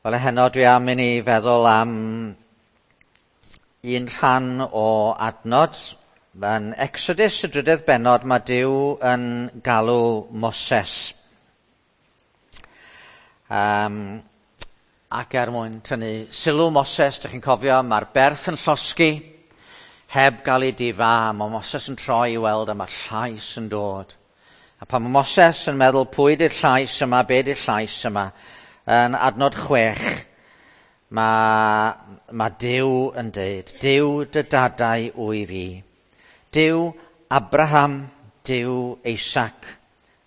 Wel, heno dwi am i ni feddwl am un rhan o adnod. Yn Exodus, y drydedd bennod, mae Duw yn galw Moses. Ac er mwyn tynnu sylw Moses, dych chi'n cofio, mae'r berth yn llosgi, heb gael ei difa, a mae Moses yn troi i weld a mae'r llais yn dod. A pan mae Moses yn meddwl pwy di'r llais yma, be di'r llais yma, yn adnod 6, mae Duw yn deud, Duw dy dadau wy fi, Duw Abraham, Duw Isaac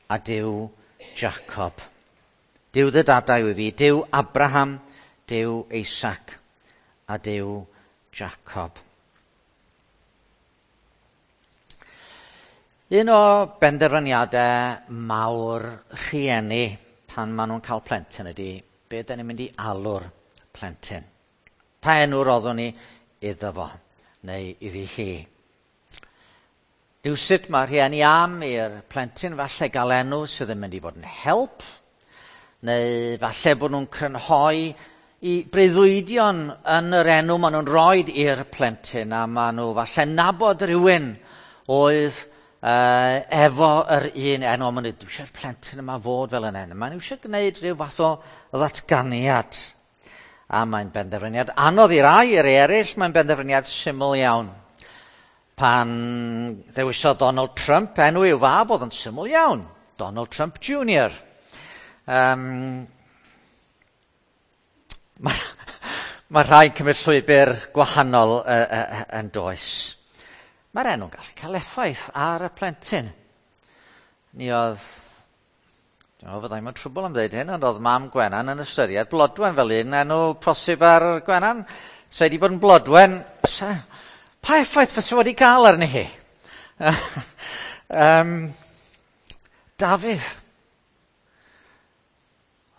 a Duw Jacob. Duw dy dadau wy fi, Duw Abraham, Duw Isaac a Duw Jacob. Un o benderfyniadau mawr rhieni pan maen nhw'n cael plentyn ydy, be da ni'n mynd i alw'r plentyn? Pa enw roddwn ni iddo fo, neu iddi hi? Rywsut mae rhieni am i'r plentyn falle gael enw sydd yn mynd i fod yn help, neu falle bod nhw'n crynhoi i breuddwydion yn yr enw maen nhw'n rhoi i'r plentyn, a maen nhw falle nabod rhywun oedd efo yr un enw, maen nhw, dwi eisiau'r plentyn yma fod fel yn enw. Maen nhw eisiau gwneud rhyw fath o ddatganiad. A mae'n benderfyniad anodd i rai, i'r eraill, mae'n benderfyniad syml iawn. Pan ddewisodd Donald Trump enw i'w fab, oedd yn syml iawn. Donald Trump Jr. Mae rhai'n cymryd llwybr gwahanol yn does. Mae'r enw'n gallu cael effaith ar y plentyn. Ni oedd, dwi'n meddwl fyddai mewn trwbl am ddeud hyn, ond oedd mam Gwenan yn ystyried Blodwen fel un enw posib ar Gwenan. Se wedi bod yn Blodwen, pa effaith fysa wedi cael arni hi? Dafydd.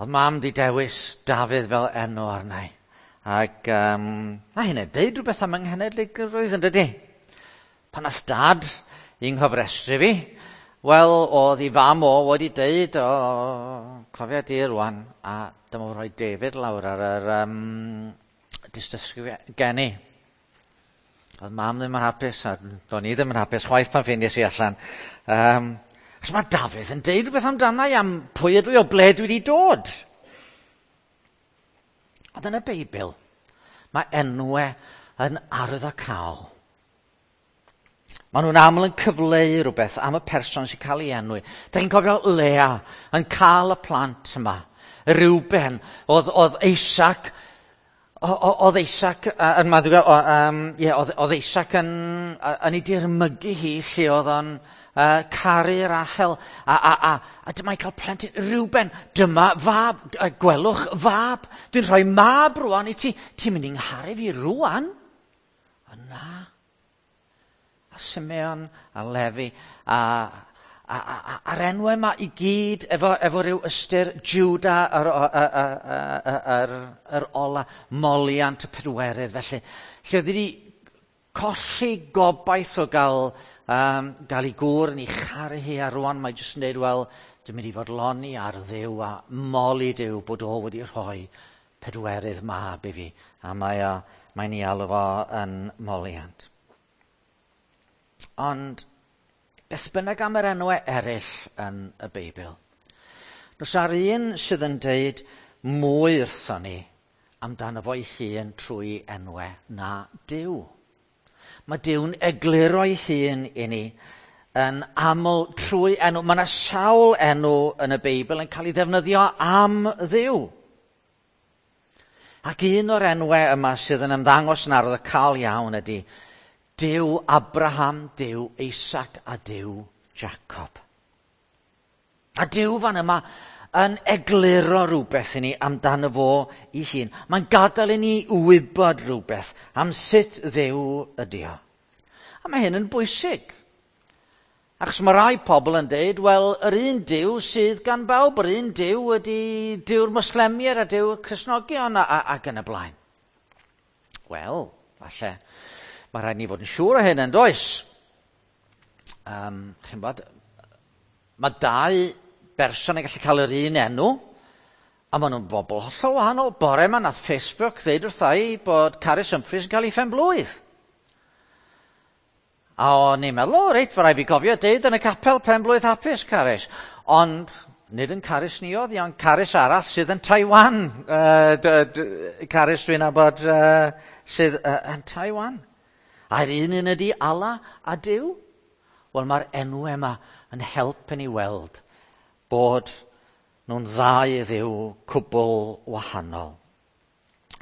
Oedd mam di dewis Dafydd fel enw arna i. Ac mae hynny'n deud rhywbeth am ynghenedligrwydd yn dydy? Pan nath dad i nghyfrestru fi, wel, oedd ei fam o wedi deud, o, cofia di rwan, a dyma fo rhoi David lawr ar yr dystysgrif geni. Oedd mam ddim yn hapus, a do'n i ddim yn hapus chwaith pan ffeindies i allan. Achos mae Dafydd yn deud rhywbeth amdana i am pwy ydw i, o ble dwi wedi dod. Ond yn y Beibl, mae enwau yn arwyddocaol. Maen nhw'n aml yn cyfleu rhywbeth am y person sy'n cael ei enwi. Da chi'n cofio Lea yn cael y plant yma. Reuben, oedd Isaac, oedd Isaac, yn meddwl, ie, oedd Isaac yn ei dirmygu hi lle oedd o'n caru Rachel. A dyma'n cael plentyn Reuben, dyma fab, gwelwch fab. Dwi'n rhoi mab rwan i ti. Ti'n mynd i'n ngharu fi rwan? O na. A Simeon, a Lefi, a'r enwau yma i gyd efo rhyw ystyr Judah, yr ola, moliant y pedwerydd. Felly, lle oedd wedi colli gobaith o gael ei gŵr yn ei charu hi, a rwan mae jyst yn dweud, wel, dwi'n mynd i fodloni ar Dduw a moli Duw bod o wedi rhoi pedwerydd mab i fi. A mae'n ei alw fo yn moliant. Ond beth bynnag am yr enwau eraill yn y Beibl, nos ar un sydd yn deud mwy wrthon ni amdano fo'i hun trwy enwau na Duw. Mae Duw'n egluro'i hun i ni yn aml trwy enw. Mae yna sawl enw yn y Beibl yn cael ei ddefnyddio am Dduw. Ac un o'r enwau yma sydd yn ymddangos yn arwyddocaol iawn ydy Duw Abraham, Duw Isaac a Duw Jacob. A Duw fan yma yn egluro rhywbeth i ni amdano fo ei hun. Mae'n gadael i ni wybod rhywbeth am sut Dduw ydy o. A mae hyn yn bwysig. Achos mae rai pobl yn deud, wel, yr un Duw sydd gan bawb, yr un Duw ydy Duw'r Mwslemiaid a Duw'r Cristnogion ac yn y blaen. Wel, falle, mae rhaid ni fod yn siŵr o hyn yn does. Chi'n bod, mae dau berson yn gallu cael yr un enw, A maen nhw'n bobl hollol wahanol. Bore yma nath Facebook ddeud wrtha i bod Carys Humphreys yn cael ei phen-blwydd. A o'n i'n meddwl, o reit, fe rai fi gofio deud yn y capel pen-blwydd hapus, Carys. Ond nid yn Carys ni oedd hi, ond Carys arall sydd yn Taiwan. Carys dwi'n nabod sydd yn Taiwan. A'r un un ydy Allah a Duw. Wel, mae'r enw yma yn help i ni weld bod nhw'n ddau dduw cwbl wahanol.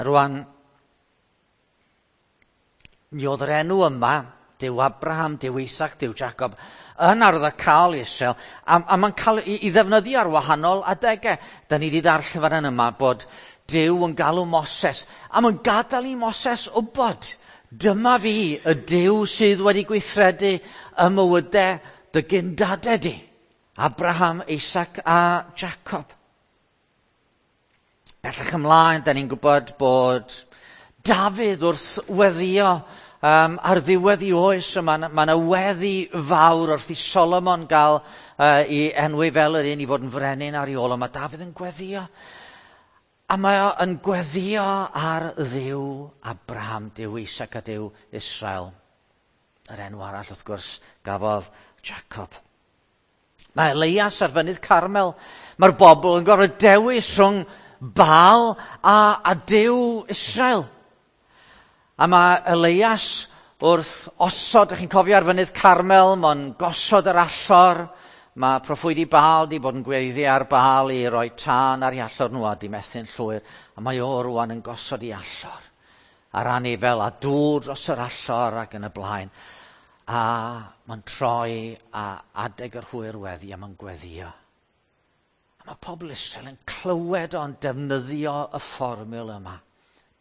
Rwan, mi oedd yr enw yma, Duw Abraham, Duw Isaac, Duw Jacob, yn arwyddocaol i Israel, a mae'n cael ei ddefnyddio ar wahanol adegau. Da ni wedi darllen fan yma bod Duw yn galw Moses, a mae'n gadael i Moses wybod, dyma fi, y Duw sydd wedi gweithredu y mywydau dy gyndadau di, Abraham, Isaac a Jacob. Bellach ymlaen, da ni'n gwybod bod Dafydd wrth weddio ar ddiwedd ei oes, mae yna weddi fawr wrth i Solomon gael ei enwi fel yr un i fod yn frenin ar ei ôl, ond mae Dafydd yn gweddio. A mae o yn gweddio ar Dduw Abraham, Duw Isaac a Duw Israel. Yr enw arall, wrth gwrs, gafodd Jacob. Mae Elias ar fynydd Carmel. Mae'r bobl yn gorfod dewis rhwng Baal a Duw Israel. A mae Elias wrth osod, ydych chi'n cofio ar fynydd Carmel, mae'n gosod yr allor. Mae proffwydi Baal di bod yn gweiddi ar Baal i roi tân ar ei allor nhw a di methu'n llwyr. A mae o rwan yn gosod ei allor a'r anifel a dŵr dros yr allor ac yn y blaen. A mae'n troi a adeg yr hwyr weddi a mae'n gweddio. A mae pobl Israel yn clywed o'n defnyddio y fformiwla yma.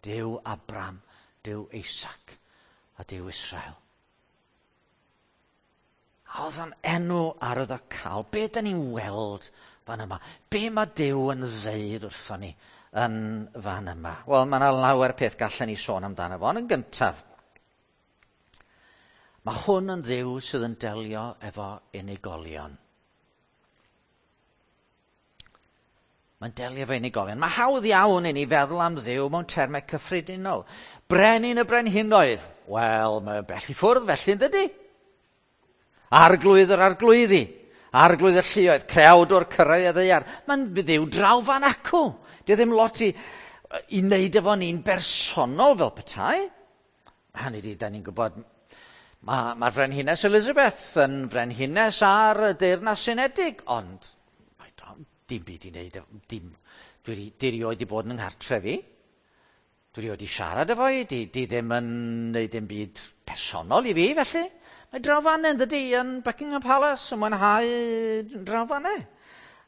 Duw Abraham, Duw Isaac a Duw Israel. A oedd o'n enw arwyddocaol. Be da ni'n weld fan yma? Be mae Duw yn ddeud wrthon ni yn fan yma? Wel, mae yna lawer peth gallen ni sôn amdano fo. Ond yn gyntaf, mae hwn yn Dduw sydd yn delio efo unigolion. Mae'n delio efo unigolion. Mae hawdd iawn i ni feddwl am Dduw mewn termau cyffredinol. Brenin y brenhinoedd. Wel, mae'n bell i ffwrdd felly, yn dydy? Arglwydd yr arglwyddi. Arglwydd y lluoedd. Creawdwr cyrraedd y ddaear. Mae'n Dduw draw fan acw. Dio ddim lot i wneud efo ni'n bersonol fel petai. Hynny ydi, da ni'n gwybod, mae'r Frenhines Elizabeth yn frenhines ar y Deyrnas Unedig, ond mae dim byd i wneud, dim, dwi erioed wedi bod yn nghartref i. Dwi erioed wedi siarad efo hi, di ddim yn wneud dim byd personol i fi, felly. Mae draw fan yn dydy, yn Buckingham Palace, yn mwynhau draw fan.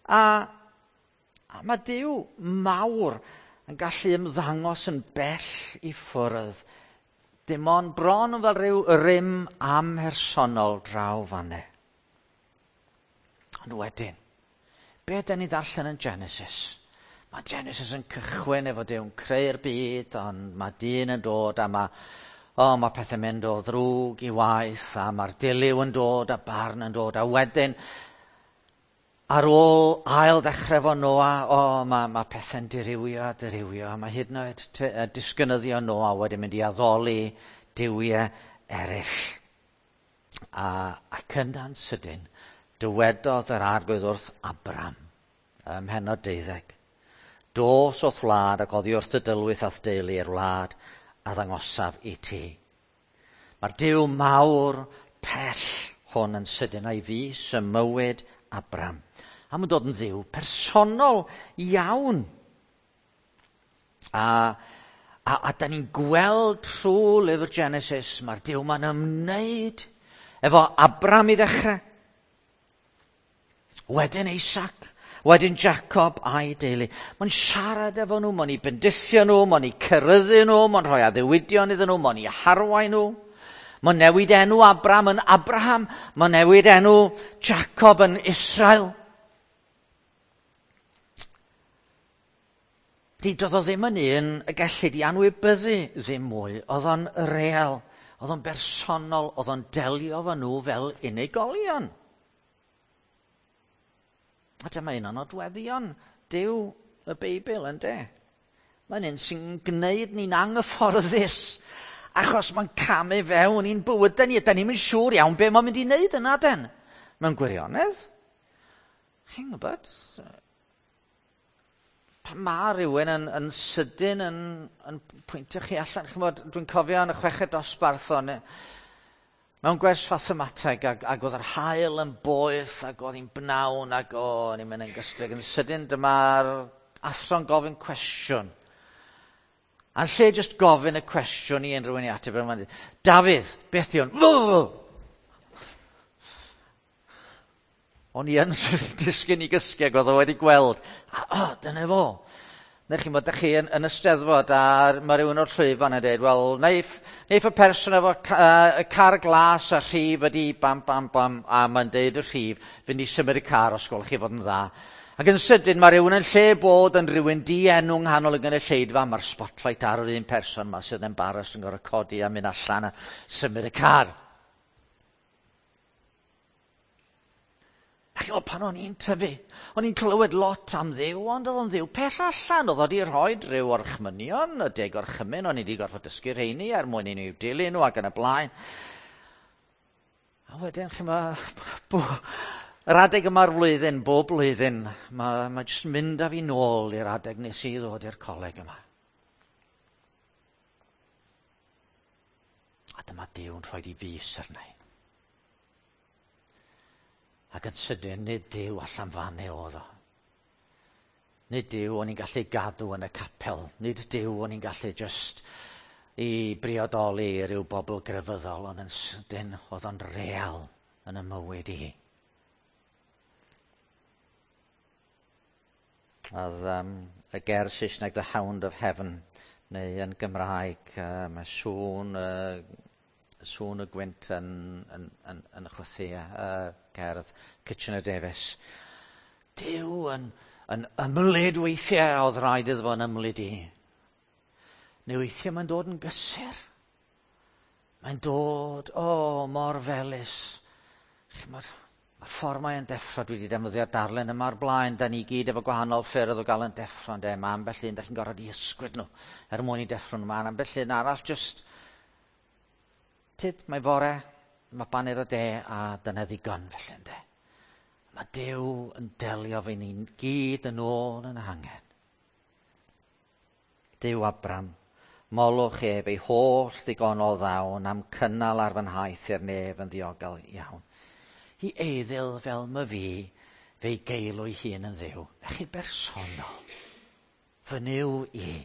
A mae Duw mawr yn gallu ymddangos yn bell i ffwrdd. Dim ond bron yn fel rhyw rym amhersonol draw fan. Ond wedyn, be da ni ddarllen yn Genesis? Mae Genesis yn cychwyn efo Duw'n creu'r byd, ond mae dyn yn dod a mae pethau'n mynd o ddrwg i waith, a mae'r dilyw yn dod a barn yn dod, a wedyn, ar ôl ail ddechrau efo Noa, mae pethau'n dirywio a dirywio, a mae hyd yn oed disgynyddio Noa wedi mynd i addoli duwiau eraill. Ac yna'n sydyn, dywedodd yr Arglwydd wrth Abram, ym mhennod 12, dos o'th wlad ac oddi wrth dy dylwyth a'th deulu i'r wlad a ddangosaf i ti. Mae'r Duw mawr pell hwn yn sydyn a'i fys ym mywyd Abram. A mae'n dod yn dduw personol iawn. A da ni'n gweld trwy lyfr Genesis, mae'r Duw ma'n ymwneud efo Abram i ddechrau. Wedyn Isaac, wedyn Jacob a'i deulu. Mae'n siarad efo nhw, mae'n eu bendithio nhw, mae'n eu ceryddu nhw, mae'n rhoi addewidion iddyn nhw, mae'n eu harwain nhw. Mae'n newid enw Abram yn Abraham, mae'n newid enw Jacob yn Israel. Doedd o ddim yn un y gellid i anwybyddu ddim mwy, oedd o'n real, oedd o'n bersonol, oedd o'n delio efo nhw fel unigolion. A dyma un o'n nodweddion Duw y Beibl, yndê? Mae'n un sy'n gwneud ni'n anghyfforddus, achos mae'n camu fewn i'n bywydau ni, a da ni'n mynd siŵr iawn be mae'n mynd i wneud yna, den. Mewn gwirionedd. Chi'n gwybod? Pan mae rhywun yn sydyn yn pwyntio chi allan, ch'mod, dwi'n cofio yn y chweched dosbarth o'n mewn gwers fathemateg ac oedd yr haul yn boeth ac oedd hi'n bnawn ac o'n i'n mynd yn gysglyd. Yn sydyn dyma'r athro'n gofyn cwestiwn. A'n lle jyst gofyn y cwestiwn i unrhyw un i ateb, mae'n dweud, Dafydd, beth di hwn? O'n i yn disgyn i gysgu ac oedd o wedi gweld. A, o, dyna fo. Neu chi'n bod, chi yn y Steddfod a mae rhywun o'r llwyfan yn dweud, wel, neiff y person efo y car glas a rhif ydi bam, bam, bam, a mae'n deud y rhif, fynd i symud y car os gwelwch chi fod yn dda. Ac yn sydyn mae rhywun yn lle bod yn rhywun dienw yng nghanol y gynulleidfa, mae'r spotlight ar yr un person ma sydd yn embarrassed yn gorfod codi a mynd allan a symud y car. A chi'n pan o'n i'n tyfu, o'n i'n clywed lot am Dduw, ond oedd o'n Dduw pell allan. Oedd o wedi rhoi rhyw orchmynion, y 10 orchymyn, o'n i wedi gorfod dysgu rheini er mwyn i ni dilyn nhw ac yn y blaen. A wedyn, chi'n yr adeg yma'r flwyddyn, bob blwyddyn, mae jyst mynd â fi nôl i'r adeg nes i ddod i'r coleg yma. A dyma Duw'n rhoi di fys arna i. Ac yn sydyn, nid Duw allan fan e oedd o. Nid Duw o'n i'n gallu gadw yn y capel. Nid Duw o'n i'n gallu just i briodoli i ryw bobl grefyddol, ond yn sydyn oedd o'n real yn y mywyd i. Oedd y ger Saesneg The Hound of Heaven, neu yn Gymraeg, mae sŵn y gwynt yn chwythu cerdd Kitchener Davis. Duw yn ymlid weithiau oedd rhaid iddo fo yn ymlid i. Neu weithiau mae'n dod yn gysur. Mae'n dod, mor felys. Chimod, y ffordd mae'n deffro, dwi wedi defnyddio darllen yma o'r blaen, da ni gyd efo gwahanol ffyrdd o gael yn deffro, ynde? Mae ambell un, da chi'n gorfod i ysgwyd nhw er mwyn i deffro nhw. Mae ambell un arall just, tyd, mae fore, mae baned o de a dyna ddigon felly, ynde? Mae Duw yn delio fe ni'n gyd yn ôl yn hangen. Duw Abram, molwch ef ei holl ddigonol ddawn am cynnal ar fy nhaith i'r nef yn ddiogel iawn. I eiddil fel my fi, fe'i geilw ei hun yn Dduw. Na chi bersonol, fy Nuw i,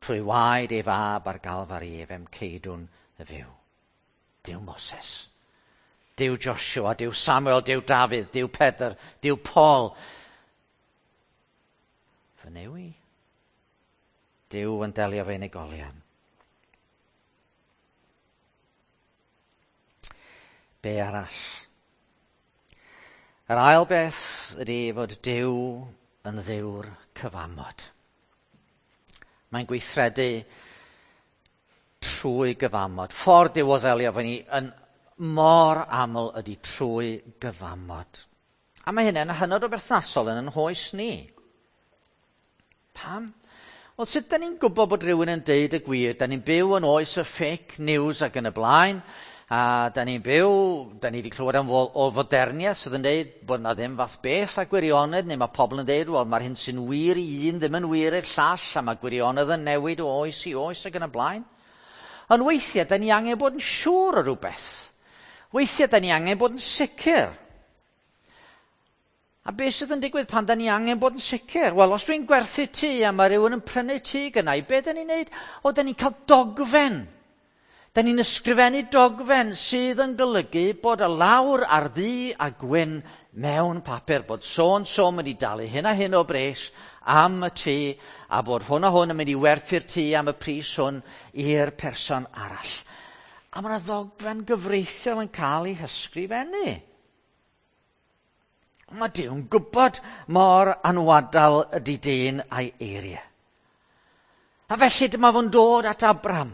trwy waed ei fab ar Galfari ef em ceidwn y fyw. Duw Moses, Duw Joshua, Duw Samuel, Duw Dafydd, Duw Pedr, Duw Paul. Fy Nuw i. Duw yn delio fe unigolion. Be arall? Yr ail beth ydy fod Duw yn Dduw'r cyfamod. Mae'n gweithredu trwy gyfamod. Ffordd Duw o ddelio efo ni yn mor aml ydy trwy gyfamod. A mae hynny'n hynod o berthnasol yn ein hoes ni. Pam? Wel, sut da ni'n gwybod bod rhywun yn deud y gwir? Da ni'n byw yn oes y fake news ac yn y blaen, a da ni'n byw, da ni wedi clywed am o foderniaeth sydd yn deud bod na ddim fath beth a gwirionedd, neu mae pobl yn deud, wel, mae'r hyn sy'n wir i un ddim yn wir i'r llall, a mae gwirionedd yn newid o oes i oes ac yn y blaen. Ond weithiau, da ni angen bod yn siŵr o rhywbeth. Weithiau, da ni angen bod yn sicr. A beth sydd yn digwydd pan da ni angen bod yn sicr? Wel, os dwi'n gwerthu tŷ a mae rhywun yn prynu tŷ gynna i, be da ni'n neud? O, da ni'n cael dogfen. Da ni'n ysgrifennu dogfen sydd yn golygu bod y lawr ar ddu a gwyn mewn papur, bod so-and-so mynd i dalu hyn a hyn o bres am y tŷ, a bod hwn a hwn yn mynd i werthu'r tŷ am y pris hwn i'r person arall. A mae yna ddogfen gyfreithiol yn cael ei hysgrifennu. Mae Duw'n gwybod mor anwadal ydy dyn a'i eiriau. A felly dyma fo'n dod at Abraham.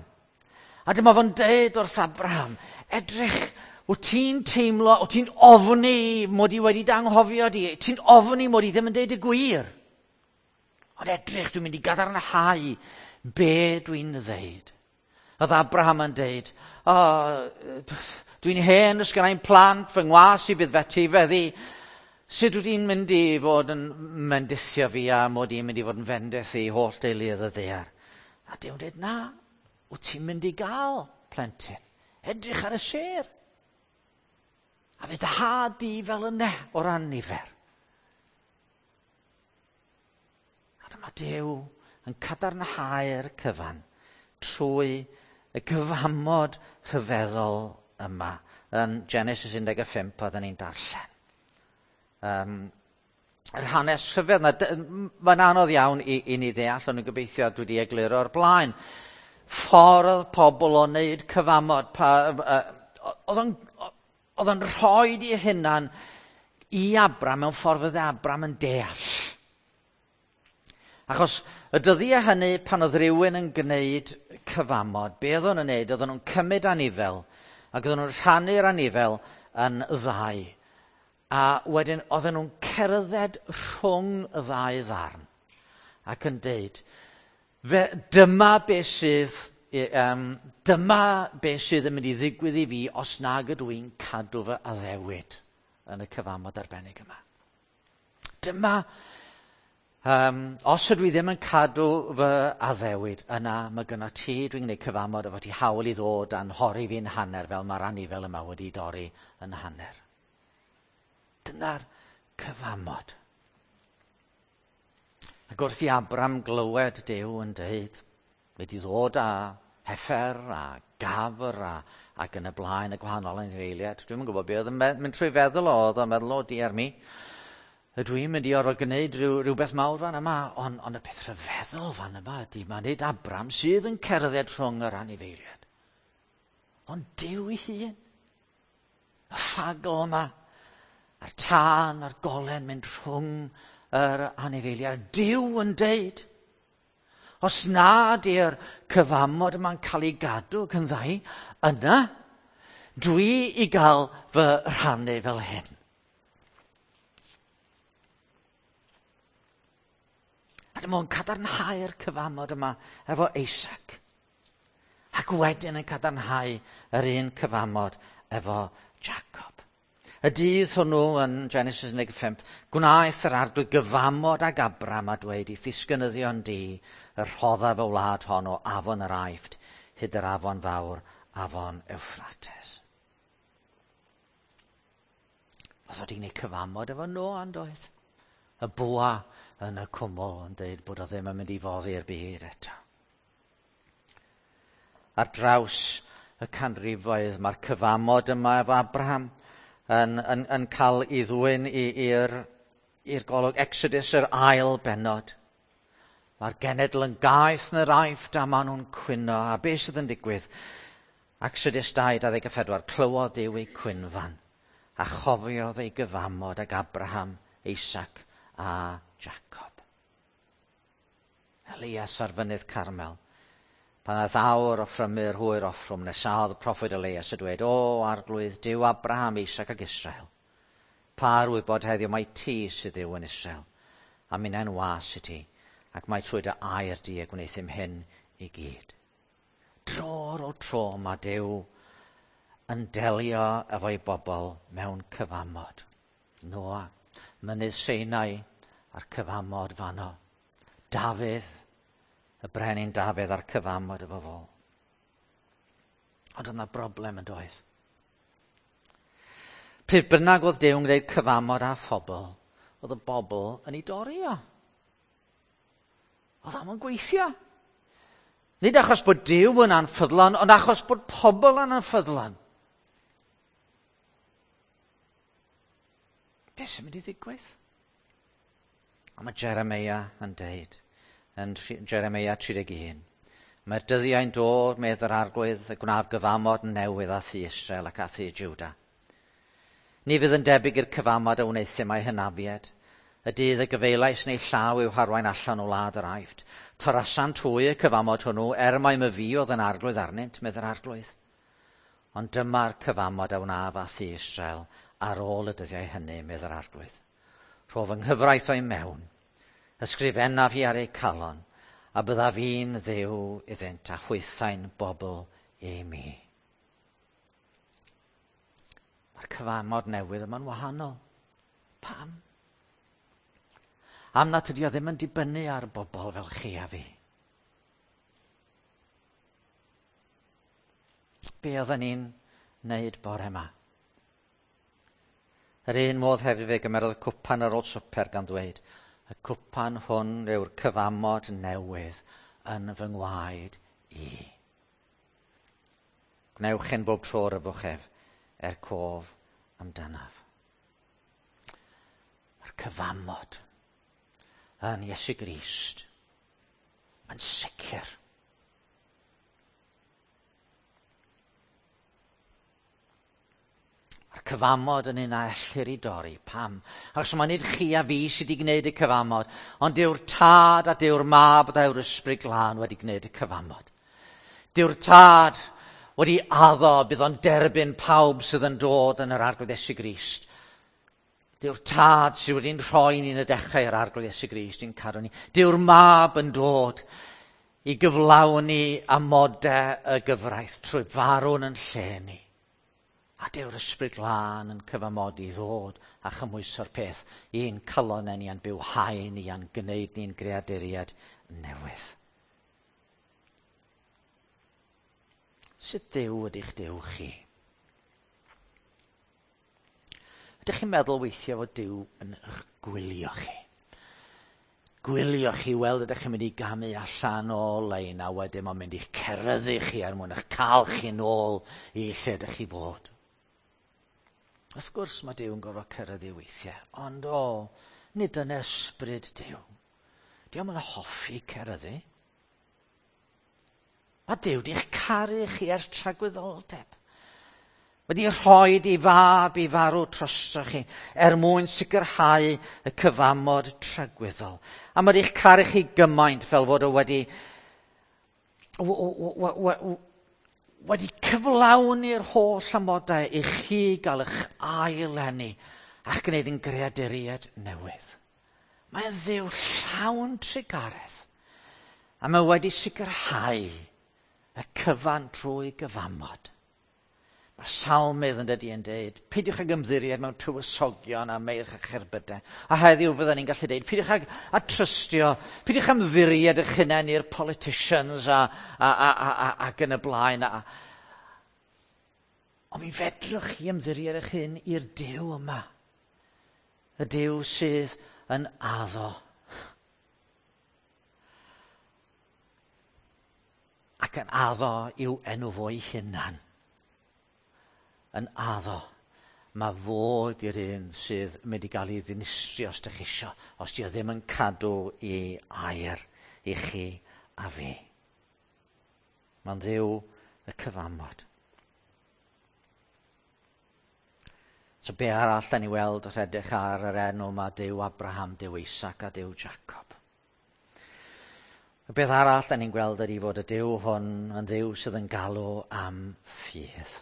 A dyma fo'n deud wrth Abraham, edrych, wyt ti'n teimlo, wyt ti'n ofni mod i wedi danghofio di, ti'n ofni mod i ddim yn deud y gwir. Ond edrych, dwi'n mynd i gadarnhau be dwi'n ddeud. Oedd Abraham yn deud, o, dwi'n hen, does gennai'm plant, fy ngwas i bydd fettifeddu. Sut wyt ti'n mynd i fod yn mendithio fi a mod i'n mynd i fod yn fendith i holl deuluoedd y ddaear? A Duw'n dweud, na, wyt ti'n mynd i gael plentyn. Edrych ar y sêr. A fydd dy had di fel yna o ran nifer. A dyma Duw yn cadarnhau'r cyfan trwy y cyfamod rhyfeddol yma yn Genesis 15 oedden ni'n darllen. Yr hanes rhyfedd yna, mae'n anodd iawn i ni ddeall, ond yn gobeithio dwi wedi egluro o'r blaen. Ffordd pobl o wneud cyfamod, oedd o'n rhoi i hunan i Abram mewn ffordd fydde Abram yn deall. Achos y dyddiau hynny pan oedd rhywun yn gwneud cyfamod, be oedden nhw'n gwneud? Oedden nhw'n cymryd anifel ac oedden nhw'n rhannu'r anifel yn ddau. A wedyn oedden nhw'n cerdded rhwng y ddau ddarn ac yn deud, dyma be sydd yn mynd i ddigwydd i fi os nag ydw i'n cadw fy addewid yn y cyfamod arbennig yma. Dyma, os ydw i ddim yn cadw fy addewid, yna mae gynno ti, dwi'n gwneud cyfamod efo ti hawl i ddod a'n nhorri fi'n hanner fel mae'r anifel yma wedi dorri yn hanner. Dyna'r cyfamod. Ac wrth i Abram glywed Duw yn dweud, wedi ddod â heffer a gafr ac yn y blaen y gwahanol anifeiliaid. Dwi'm yn gwybod beth oedd yn mynd trwy feddwl o, oedd o'n meddwl, o diar mi, ydw i'n mynd i orfod gwneud rhywbeth mawr fan yma, ond y peth rhyfeddol fan yma ydy, mae nid Abram sydd yn cerdded rhwng yr anifeiliaid, ond Duw ei hun. Y ffagl yma, a'r tân a'r golen mynd rhwng yr anifeiliaid. Duw yn deud, os na di'r cyfamod yma'n cael ei gadw ac yn ddau, yna dwi i gael fy rhannu fel hyn. A dyma o'n cadarnhau'r cyfamod yma efo Isaac. Ac wedyn yn cadarnhau yr un cyfamod efo Jacob. Y dydd hwnnw yn Genesis 15, gwnaeth yr arglwydd gyfamod ag Abram a dweud i ddisgynyddion di y rhoddaf y wlad hon o afon yr Aifft hyd yr afon fawr, afon Euphrates. Oedd wedi gwneud cyfamod efo Noa yn doedd? Y bwa yn y cwmwl yn dweud bod o ddim yn mynd i foddi'r byd eto. Ar draws y canrifoedd mae'r cyfamod yma efo Abraham yn cael ei ddwyn i'r golwg. Exodus, yr ail bennod. Mae'r genedl yn gaeth yn yr Aifft a maen nhw'n cwyno. A beth sydd yn digwydd? Exodus 2:24, clywodd Duw ei cwynfan a chofiodd ei gyfamod ag Abraham, Isaac a Jacob. Elias ar fynydd Carmel. Pan ddaeth awr offrymu'r hwyr offrwm, nesaodd y proffwyd Elias a dweud, O, arglwydd, Duw Abraham, Isaac ac Israel, pa'r wybod heddiw mai ti sydd Dduw yn Israel, a minnau'n was i ti, ac mai trwy dy air di y gwneuthum hyn i gyd. Dro ar ôl tro mae Duw yn delio efo'i bobl mewn cyfamod. Noa, mynydd Sinai a'r cyfamod fanno. Dafydd, y brenin Dafydd a'r cyfamod efo fo. Ond yna broblem yn doedd. Pryd bynnag oedd Duw yn gwneud cyfamod â phobl, oedd y bobl yn ei dorri o. Oedd am yn gweithio. Nid achos bod Duw yn anffyddlon, ond achos bod pobl yn anffyddlon. Beth sy'n mynd i ddigwydd? A mae Jeremia yn deud, yn Jeremia 31, mae'r dyddiau'n dod, medd yr arglwydd, y gwnaf gyfamod newydd â thŷ Israel ac â thŷ Juda. Ni fydd yn debyg i'r cyfamod a wneuthum â'i hynafiaid, y dydd y gyfeilais neu llaw i'w harwain allan o wlad yr Aifft. Torasant hwy y cyfamod hwnnw, er mai myfi oedd yn arglwydd arnynt, medd yr arglwydd. Ond dyma'r cyfamod a wnaf â thŷ Israel ar ôl y dyddiau hynny, medd yr arglwydd. Rho fy nghyfraith o'i mewn, Ysgrifennaf i ar eu calon, a byddaf i'n Dduw iddynt a hwythau'n bobl i mi. Mae'r cyfamod newydd yma'n wahanol. Pam? Am nad ydy o ddim yn dibynnu ar bobl fel chi a fi. Be oedden ni'n wneud bore yma? Yr un modd hefyd fe gymerodd y cwpan ar ôl swper gan ddweud, y cwpan hwn yw'r cyfamod newydd yn fy ngwaed i. Gwnewch hyn bob tro ryfwch ef, er cof amdanaf. Mae'r cyfamod yn Iesu Grist yn sicr. Mae'r cyfamod yn un a ellir i dorri. Pam? Achos mae nid chi a fi sydd wedi gwneud y cyfamod, ond dyw'r Tad a dyw'r Mab a dyw'r Ysbryd Glân wedi gwneud y cyfamod. Dyw'r Tad wedi addo bydd o'n derbyn pawb sydd yn dod yn yr Arglwydd Iesu Grist. Dyw'r Tad sydd wedi'n rhoi ni'n y dechrau yr Arglwydd Iesu Grist i'n cadw ni. Dyw'r Mab yn dod i gyflawni amodau y gyfraith trwy farw'n yn lle ni. A dyw'r Ysbryd Glân yn cyfamodi ddod a chymhwyso'r peth i'n calonnau ni a'n bywhau ni a'n gwneud ni'n greaduriad newydd. Sut Duw ydych Duw chi? Ydych chi'n meddwl weithiau fod Duw yn eich gwylio chi? Gwylio chi weld ydych chi'n mynd i gamu allan o lein a wedyn mae'n mynd i'ch ceryddu chi er mwyn eich cael chi nôl i lle ydych chi fod. Wrth gwrs mae Duw yn gorfod ceryddu weithiau, ond o, nid yn ysbryd Duw. Dio'm yn hoffi ceryddu. Mae Duw di'ch caru chi ers tragwyddoldeb. Wedi rhoi i fab i farw drosoch chi er mwyn sicrhau y cyfamod tragwyddol. A mae wedi'ch caru chi gymaint fel fod o wedi cyflawni'r holl amodau i chi gael eich ail-eni a'ch gwneud yn greaduriaid newydd. Mae'n Dduw llawn trugaredd, a mae wedi sicrhau y cyfan trwy gyfamod. Mae salmydd yn dydy yn deud, peidiwch ag ymddiried mewn tywysogion a meirch a cherbydau. A heddiw fydden ni'n gallu deud, peidiwch ag a trystio, peidiwch ymddiried eich hunain i'r politicians ac yn y blaen. Ond mi fedrwch chi ymddiried eich hun i'r Duw yma. Y Duw sydd yn addo. Ac yn addo i'w enw fo'i hunan. Yn addo. Mae fod i'r un sydd mynd i gael ei ddinistrio os ydych chi isio, os di o ddim yn cadw i air i chi a fi. Mae'n Dduw y cyfamod. So be arall da ni weld wrth edrych ar yr enw yma, Duw Abraham, Duw Isaac a Duw Jacob? Y beth arall da ni'n gweld ydy fod y Duw hwn yn Dduw sydd yn galw am ffydd.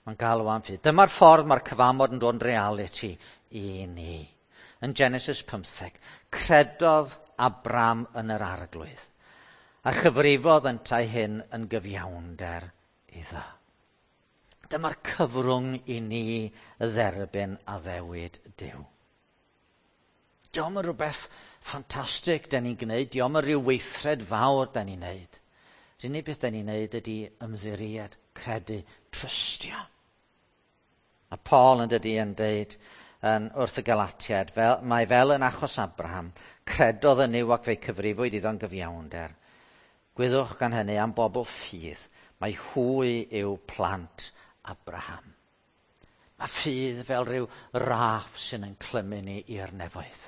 Mae'n galw am ffydd. Dyma'r ffordd mae'r cyfamod yn dod yn realiti i ni. Yn Genesis 15, credodd Abram yn yr Arglwydd, a chyfrifodd yntau hyn yn gyfiawnder iddo. Dyma'r cyfrwng i ni dderbyn addewid Duw. Dio'm yn rhywbeth ffantastig da ni'n gwneud, dio'm yn rhyw weithred fawr da ni'n gwneud. Yr unig beth da ni'n gwneud ydy ymddiried, credu, trystio. A Paul yn dydy yn deud yn wrth y Galatiaid, mae fel yn achos Abraham, credodd yn Nuw ac fe'i cyfrifwyd iddo'n gyfiawnder. Gwyddwch gan hynny am bobl ffydd, mae hwy yw plant Abraham. Mae ffydd fel rhyw raff sy'n yn clymu ni i'r nefoedd.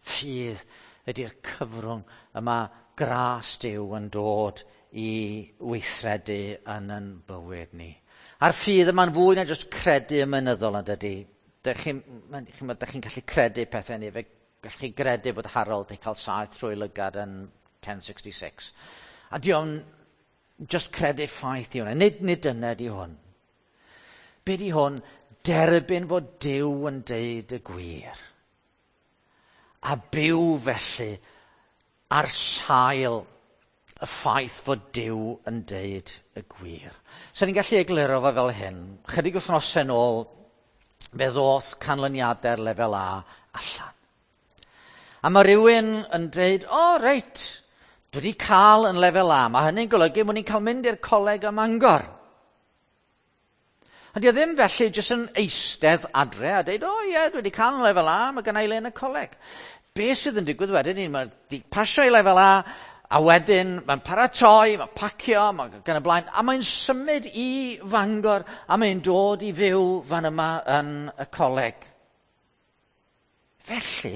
Ffydd ydy'r cyfrwng y mae gras Duw yn dod i weithredu yn yn bywyd ni. A'r ffydd yma'n fwy na jyst credu ymynyddol yn dydy. Dych chi'n gallu credu pethau ni. Fe gallwch chi gredu bod Harold wedi cael saeth trwy lygad yn 1066. A dio'n just credu ffaith i hwnna. Nid dyna di hwn. Be di hwn? Derbyn fod Duw yn deud y gwir. A byw felly ar sail y ffaith fod Duw yn deud y gwir. So ni'n gallu egluro fo fel hyn. Chydig wythnosau nôl, fe ddoth canlyniadau'r lefel A allan. A mae rhywun yn dweud, o oh, reit, dwi wedi cael yn lefel A. Mae hynny'n golygu bod ni'n cael mynd i'r coleg ym Mangor. Ond di o ddim felly jyst yn eistedd adre a dweud, o oh, ie, dwi wedi cael yn lefel A, mae gynna i le yn y coleg. Be sydd yn digwydd wedyn, mae wedi pasio i lefel A, a wedyn mae'n paratoi, mae'n pacio, mae'n gan y blaen, a mae'n symud i Fangor, a mae'n dod i fyw fan yma yn y coleg. Felly,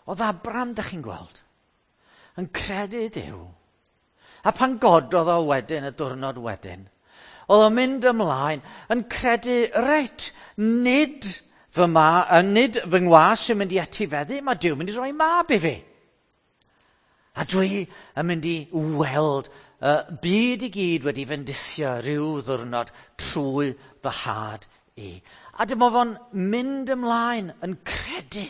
oedd Abram, da chi'n gweld, yn credu Duw. A pan gododd o wedyn, y diwrnod wedyn, oedd o'n mynd ymlaen yn credu, reit, nid fy ma, nid fy ngwas sy'n mynd i etifeddu, mae Duw mynd i roi mab i fi. A dwi yn mynd i weld y byd i gyd wedi fendithio rhyw ddwrnod trwy fy had i. A dyma fo'n mynd ymlaen yn credu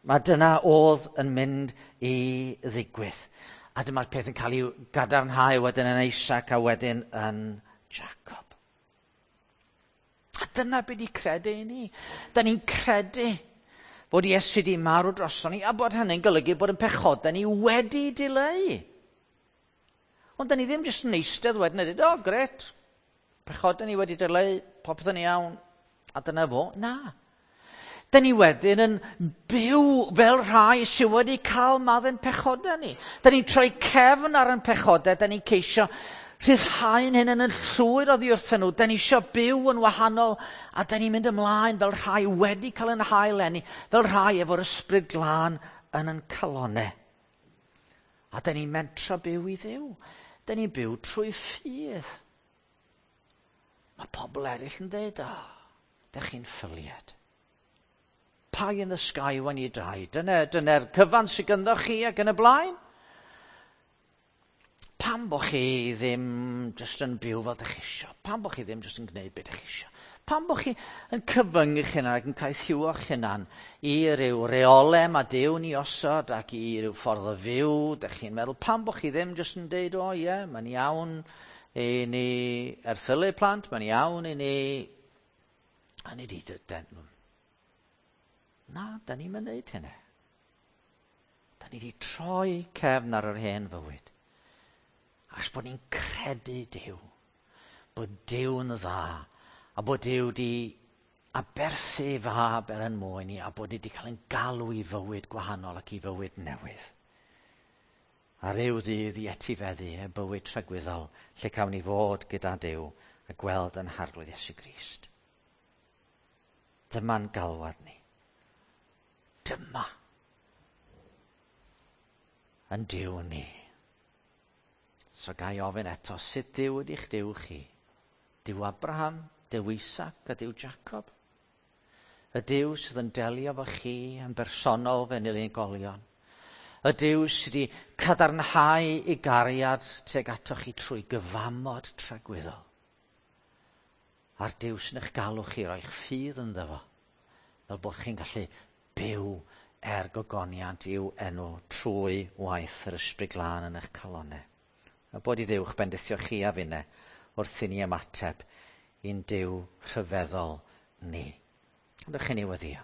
mae dyna oedd yn mynd i ddigwydd. A dyma'r peth yn cael ei gadarnhau wedyn yn Isaac a wedyn yn Jacob. A dyna beth i credu i ni. Da ni'n credu bod Iesu wedi marw droson ni a bod hynny'n golygu bod yn pechodau ni wedi dileu. Ond da ni ddim jyst yn eistedd wedyn a dweud, o, oh, gret, pechodau ni wedi dileu, popeth yn iawn, a dyna fo. Na. Da ni wedyn yn byw fel rhai sydd wedi cael maddau'n pechodau ni. Da ni'n troi cefn ar ein pechodau, da ni'n ceisio rhyddhau'n hyn yn llwyr oddi wrthyn nhw. Da ni eisiau byw yn wahanol a da ni'n mynd ymlaen fel rhai wedi cael yn hael enni, fel rhai efo'r ysbryd glân yn yn calonau. A da ni'n mentro byw i Dduw. Da ni'n byw trwy ffydd. Mae pobl eraill yn dweud, o, da chi'n ffyliad. Pie in the sky when you die. Dyna'r dyna cyfan sydd gynddo chi ac yn y blaen. Pam bo chi ddim jyst yn byw fel dych chi isio? Pam bo chi ddim jyst yn gwneud beth dych chi isio? Pam bo chi yn cyfyngu eich hunan ac yn caethiwo'ch hunan i ryw reole mae Duw ni osod ac i ryw ffordd o fyw? Dych chi'n meddwl, pam bo chi ddim jyst yn deud, o ie, mae'n iawn i ni erthylu plant, mae'n iawn i ni... A ni di... Na, da ni'n mynd wneud hynny. Da ni di troi cefn ar yr hen fywyd. Achos bod ni'n credu Duw, bod Duw yn dda, a bod Duw di aberthu ei fab er yn mwyn ni, a bod ni wedi cael ein galw i fywyd gwahanol ac i fywyd newydd. A ryw ddydd i etifeddu y bywyd tragwyddol, lle cawn ni fod gyda Duw a gweld yn Harglwydd Iesu Grist. Dyma'n galwad ni. Dyma yn Duw ni. So ga i ofyn eto, sut Duw ydych Duw chi? Duw Abraham, Duw Isaac a Duw Jacob? Y Duw sydd yn delio efo chi yn bersonol fel unigolion. Y Duw sydd wedi cadarnhau ei gariad tuag atoch chi trwy gyfamod tragwyddol. A'r Duw sy'n eich galw chi roi'ch ffydd ynddo fo, fel bod chi'n gallu byw er gogoniant i'w enw trwy waith yr Ysbryd Glân yn eich calonau. A bod i Dduw'ch bendithio chi a finne wrth i ni ymateb i'n Duw rhyfeddol ni. Ydych chi'n ei weddio?